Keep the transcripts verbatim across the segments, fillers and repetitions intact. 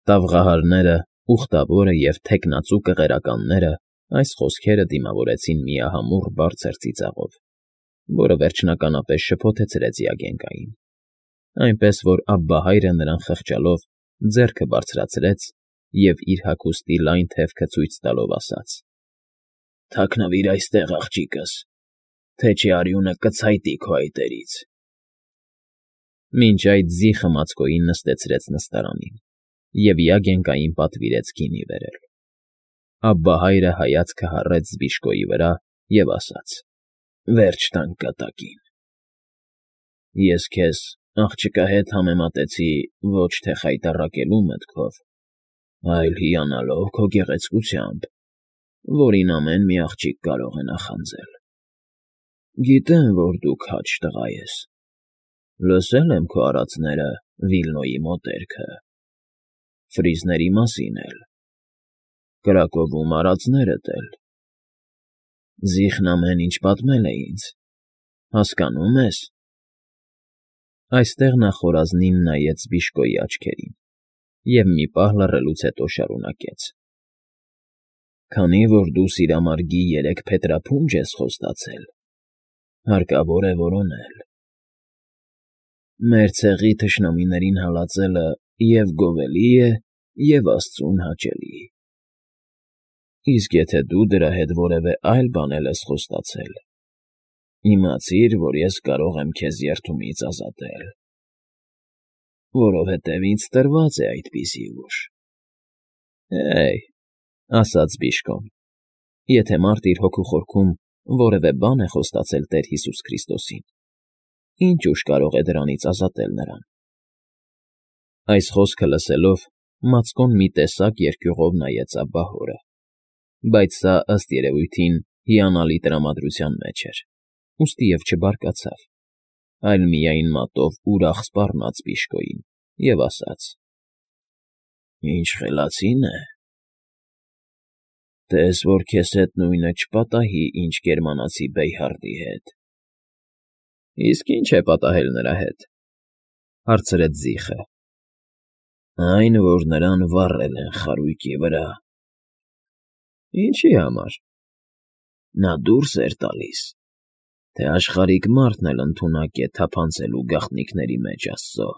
Տավղահարները, ուխտավորը և թեկնածու կղերականները այս խոսքերը դիմավորեցին միահամուռ բարձր ծիծաղով, որը վերջնականապես շփոթեցրեց Յագենկային, այնպես որ Աբբահայրը նրան խղճալով ձեռքը բարձրացրեց և իր հագուստի լայն թևքը ցույց տալով ասաց. ֊ Թաքնվիր այստեղ, աղջիկս, թե չէ արյունը կցայտի քո այտերից… Մինչ այդ զիխը Մացկոյին նստեցրեց նստարանին և Յագենկային պատվիրեց գինի բերել։ Աբբահայրը հայացքը հառեց Զբիշկոյի վրա և ասաց. ֊ Վերջ տանք կատակին… Ես քեզ, աղջկա, հետ համեմատեցի ոչ թե խայտառակելու մտքով, այլ հիանալով քո գեղեցկությամբ, որին ամեն մի աղջիկ կարող է նախանձել… Գիտեմ, որ դու քաջ տղա ես, լսել եմ քո արածները Վիլնոյի մոտերքը, ֆրիզների մասին էլ, կրակովում արածներդ էլ… Զիխն ամեն ինչ պատմել է ինձ, հասկանո՞ւմ ես… Այստեղ նա խորազնին նայեց Զբիշկոյի աչքերին և մի պահ լռելուց հետո շարունակեց. ֊ Քանի որ դու սիրամարգի երեք փետրափունջ ես խոստացել, հարկավոր է որոնել… Մեր ցեղի թշնամիներին հալածելը և՛ գովելի է, և՛ աստծուն հաճելի… Իսկ եթե դու դրա հետ որևէ այլ բան էլ ես խոստացել, իմացիր, որ ես կարող եմ քեզ երդումից ազատել, որովհետև ինձ տրված է այդպիսի ուժ… ֊ Հե՜յ,֊ ասաց Զբիշկոն,֊ եթե մարդ իր հոգու խորքում որևէ բան է խոստացել Տեր Հիսուս Քրիստոսին, ի՞նչ ուժ կարող է դրանից ազատել նրան… Այս խոսքը լսելով, Մացկոն մի տեսակ երկյուղով նայեց աբբահորը, բայց սա, ըստ երևույթին, հիանալի տրամադրության մեջ էր, ուստի և չբարկացավ, այլ միայն մատով ուրախ սպառնաց Զբիշկոյին և ասաց. ֊ Ինչ խելացին է… Տես որ քեզ հետ նույնը չպատահի, ինչ գերմանացի Բեյհարդի հետ… ֊ Իսկ ի՞նչ է պատահել նրա հետ,֊ հարցրեց Զիխը։ ֊ Այն, որ նրան վառել են խարույկի վրա… ֊ Ինչի՞ համար։ ֊ Նա դուրս էր տալիս, թե աշխարհիկ մարդն էլ ընդունակ է թափանցելու գաղտնիքների մեջ Աստծո,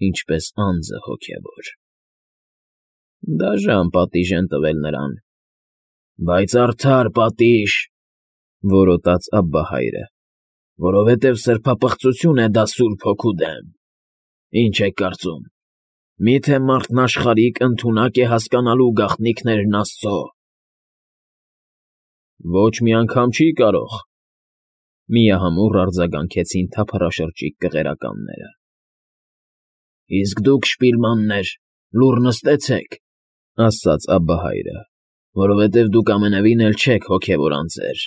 ինչպես անձը հոգևոր… ֊ Դաժան պատիժ են տվել նրան… ֊ Բայց արդար պատիժ,֊ որոտաց Աբբահայրը,֊ որովհետև սրբապղծություն է դա Սուրբ Հոգու դեմ… Ինչ եք կարծում, մի՞թե մարդն աշխարհիկ ընդունակ է հասկանալու գաղտնիքներն Աստծո… ֊ Ոչ մի անգամ չի կարող,֊ միահամուռ արձագանքեցին թափառաշրջիկ կղերականները։ ֊ Իսկ դուք, շպիլմաններ, լուռ նստեցեք,֊ ասաց Աբբահայրը,֊ որովհետև դուք ամենևին էլ չեք հոգևոր անձեր,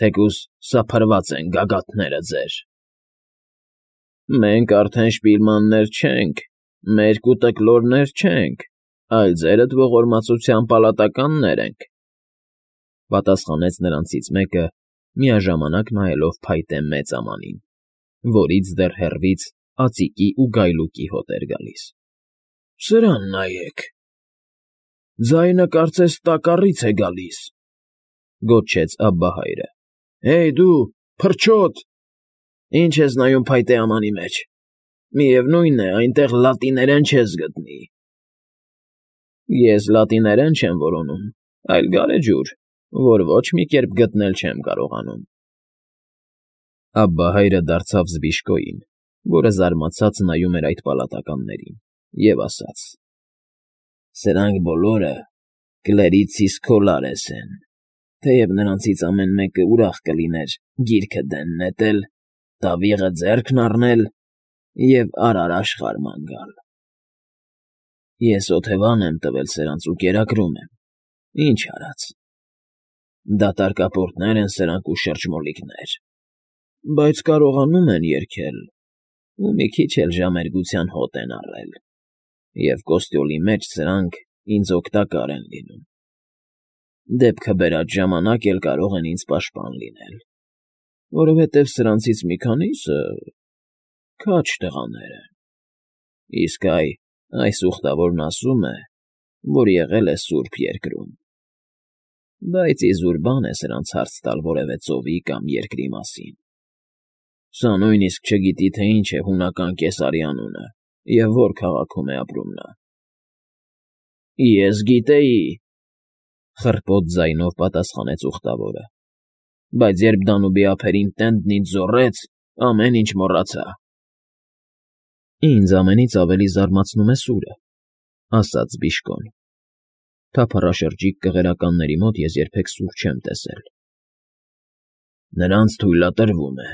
թեկուզ սափրված են գագաթները ձեր… ֊ Մենք արդեն շպիլմաններ չենք, մերկ ու տկլորներ չենք, այլ ձերդ ողորմածության պալատականներ ենք,֊ պատասխանեց նրանցից մեկը, միաժամանակ նայելով փայտե մեծ ամանին, որից դեռ հեռվից ածիկի ու գայլուկի հոտ էր գալիս։ ֊ Սրան նայեք… Ձայնը կարծես տակառից է գալիս,֊ գոչեց Աբբահայրը։֊ Հեյ դու, փրչոտ… Ի՞նչ ես նայում փայտե ամանի մեջ… Միևնույն է, այնտեղ լատիներեն չես գտնի… ֊ Ես լատիներեն չեմ որոնում, այլ գարեջուր, որ ոչ մի կերպ գտնել չեմ կարողանում… Աբբահայրը դարձավ Զբիշկոյին, որը զարմացած նայում էր այդ պալատականներին, և ասաց. ֊ Սրանք բոլորը կլերիցիս քոլարես են, թեև նրանցից ամեն մեկը ուրախ կլիներ գիրքը դեն նետել, տավիղը ձեռքն առնել և արար աշխարհ ման գալ… Ես օթևան եմ տվել սրանց ու կերակրում եմ, ինչ արած… Դատարկապորտներ են սրանք ու շրջմոլիկներ, բայց կարողանում են երգել ու մի քիչ էլ ժամերգության հոտ են առել, և կոստյոլի մեջ սրանք ինձ օգտակար են լինում… Դեպքը բերած ժամանակ էլ կարող են ինձ պաշտպան լինել, որովհետև սրանցից մի քանիսը քաջ տղաներ են, իսկ այ այս ուխտավորն ասում է, որ եղել է Սուրբ Երկրում, բայց իզուր բան է սրանց հարց տալ որևէ ծովի կամ երկրի մասին. սա նույնիսկ չգիտի, թե ինչ է հունական կեսարի անունը և որ քաղաքում է ապրում նա։ ֊ Ես գիտեի,֊ խռպոտ ձայնով պատասխանեց ուխտավորը,֊ բայց երբ Դանուբի ափերին Տենդն ինձ զոռեց, ամեն ինչ մոռացա։ ֊ Ինձ ամենից ավելի զարմացնում է սուրը,֊ ասաց Բիժկոն,֊ թափառաշրջիկ կղերականների մոտ ես երբեք սուր չեմ տեսել։ ֊ Նրանց թույլատրվում է,֊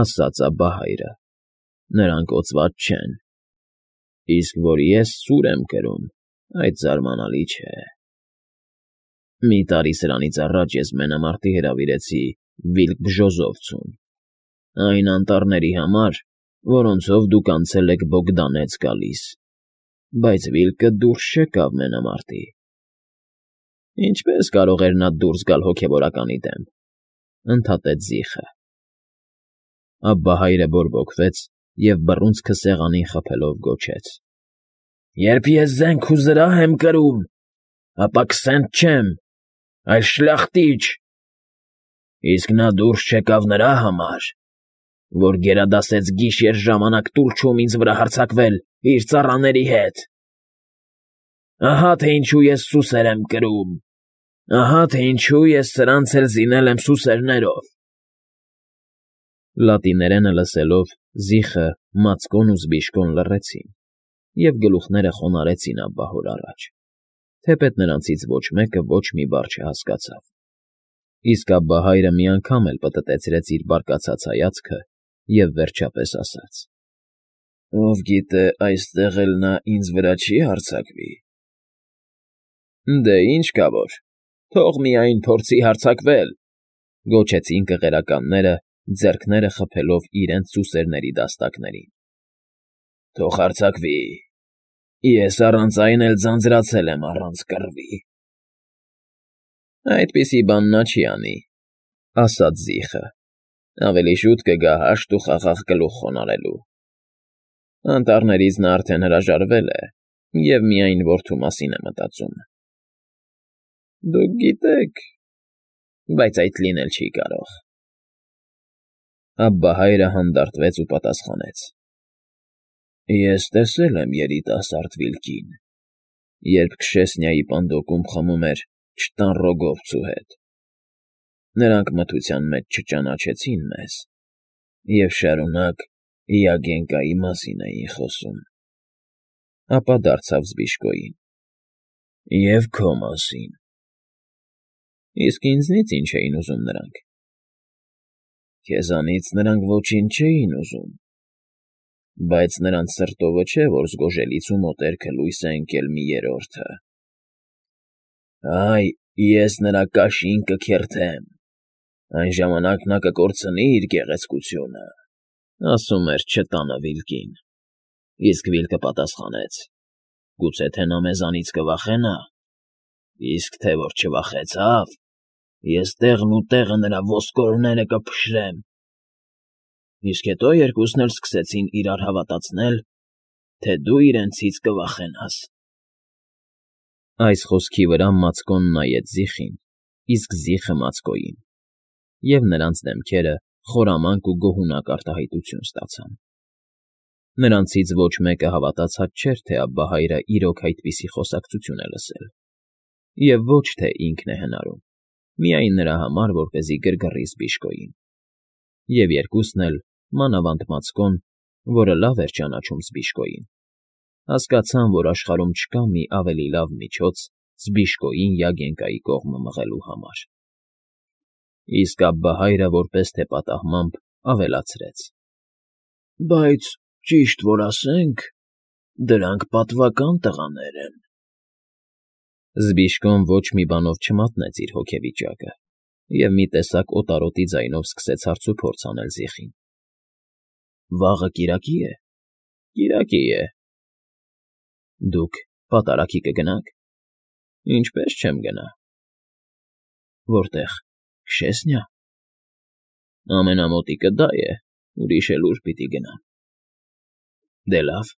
ասաց Աբբահայրը,֊ նրանք օծված չեն, իսկ որ ես սուր եմ կրում, այդ զարմանալի չէ։ Մի տարի սրանից առաջ ես մենամարտի հրավիրեցի Վիլկ Բժոզովցուն, այն անտառների համար, որոնցով դուք անցել եք Բոգդանեց գալիս, բայց Վիլկը դուրս չեկավ մենամարտի։ ֊ Ինչպե՞ս կարող էր նա դուրս գալ հոգևորականի դեմ,֊ ընդհատեց Զիխը։ Աբբահայրը բորբոքվեց և բռունցքը սեղանին խփելով գոչեց. «Երբ ես զենք ու զրահ եմ կրում, ապա քսենթ չեմ, այլ շլախտիչ, իսկ նա դուրս չեկավ նրա համար, որ գերադասեց գիշեր ժամանակ տուլչում ինձ վրա հարձակվել իր ծառաների հետ։ Ահա թե ինչու ես սուսեր եմ կրում, ահա թե ինչու ես սրանց էլ զինել եմ սուսերներով»։ Լատիներենը լսելով՝ Զիխը, Մացկոն ու Զբիժկոն լռեցին և գլուխները խոնարհեցին աբբահոր առաջ, թեպետ նրանցից ոչ մեկը ոչ մի բառ չհասկացավ, իսկ Աբբահայրը մի անգամ էլ պտտեցրեց իր բարկացած հայացքը և վերջապես ասաց. «Ով գիտե այստեղ էլ նա ինձ վրա չի հարձակվի»։ ֊ Դե ինչ կա որ, թող միայն փորձի հարձակվել,֊ գոչեցին կղերականները, ձեռքները խփելով իրենց սուսերների դաստակներին։ ֊ Թող հարձակվի, ես առանց այն էլ ձանձրացել եմ առանց կռվի։ ֊ Այդպիսի բան նա չի անի,֊ ասաց Զիխը,֊ ավելի շուտ կգա հաշտ ու խաղաղ գլուխ խոնարհելու։ Անտառներից նա արդեն հրաժարվել է և միայն որդու մասին է մտածում։ ֊ Դուք գիտեք, բայց այդ լինել չի կարող։ Աբբահայրը հանդարտվեց ու պատասխանեց. «Ես տեսել եմ երիտասարդ Վիլկին, երբ Քշեսնիայի պանդոկում խմում էր չտան Ռոգովցու հետ։ Նրանք մթության մեջ չճանաչեցին մեզ և շարունակ Յագենկայի մասին էին խոսում»։ Ապա դարձավ Զբիժկոյին. «Եվ քո մասին»։ ֊ Իսկ ինձնից ի՞նչ էին ուզում նրանք։ ֊ Քեզանից նրանք ոչինչ չէին ուզում, բայց նրանց սրտովը չէ, որ զգոժելից ու մոտերքը լույս է ընկել մի երրորդը։ Այ, ես նրա կաշին կքերթեմ, այն ժամանակ նա կկորցնի իր գեղեցկությունը,֊ ասում էր չտանը Վիլկին։ Իսկ Վիլկը պատասխանեց. «Գուցե թե նա մեզանից կվախենա, իսկ թե որ չվախեցավ, ես տեղն ու տեղը նրա ոսկորները կփշրեմ»։ Իսկ հետո երկուսն էլ սկսեցին իրար հավատացնել, թե դու իրենցից կվախենաս։ Այս խոսքի վրա Մացկոն նայեց Զիխին, իսկ Զիխը՝ Մացկոյին, և նրանց դեմքերը խորամանկ ու գոհունակ արտահայտություն ստացան։ Նրանցից ոչ մեկը հավատացած չէր, թե Աբբահայրը իրոք այդպիսի խոսակցություն է լսել, և ոչ թե ինքն է հնարում, միայն նրա համար, որպեսզի գրգռի Զբիժկոյին։ Եվ երկուսն էլ, մանավանդ Մացկոն, որը լավ էր ճանաչում Զբիժկոյին, հասկացան, որ աշխարհում չկա մի ավելի լավ միջոց Զբիժկոյին Յագենկայի կողմը մղելու համար։ Իսկ Աբբահայրը որպես թե պատահմամբ ավելացրեց. «Բայց, ճիշտ որ ասենք, դրանք պատվական տղաներ են»։ Զբիժկոն ոչ մի բանով չմատնեց իր հոգեվիճակը և մի տեսակ օտարոտի ձայնով սկսեց հարցուփորձ անել Զիխին. «Վաղը կիրակի՞ է։ ֊ Կիրակի է։ ֊ Դուք պատարագի կգնա՞ք։ ֊ Ինչպես չեմ գնա։ ֊ Որտե՞ղ, Քշեսնիա։ ֊ Ամենամոտիկը դա է, ուրիշ էլ ո՞ւր պիտի գնամ։ ֊ Դե լավ,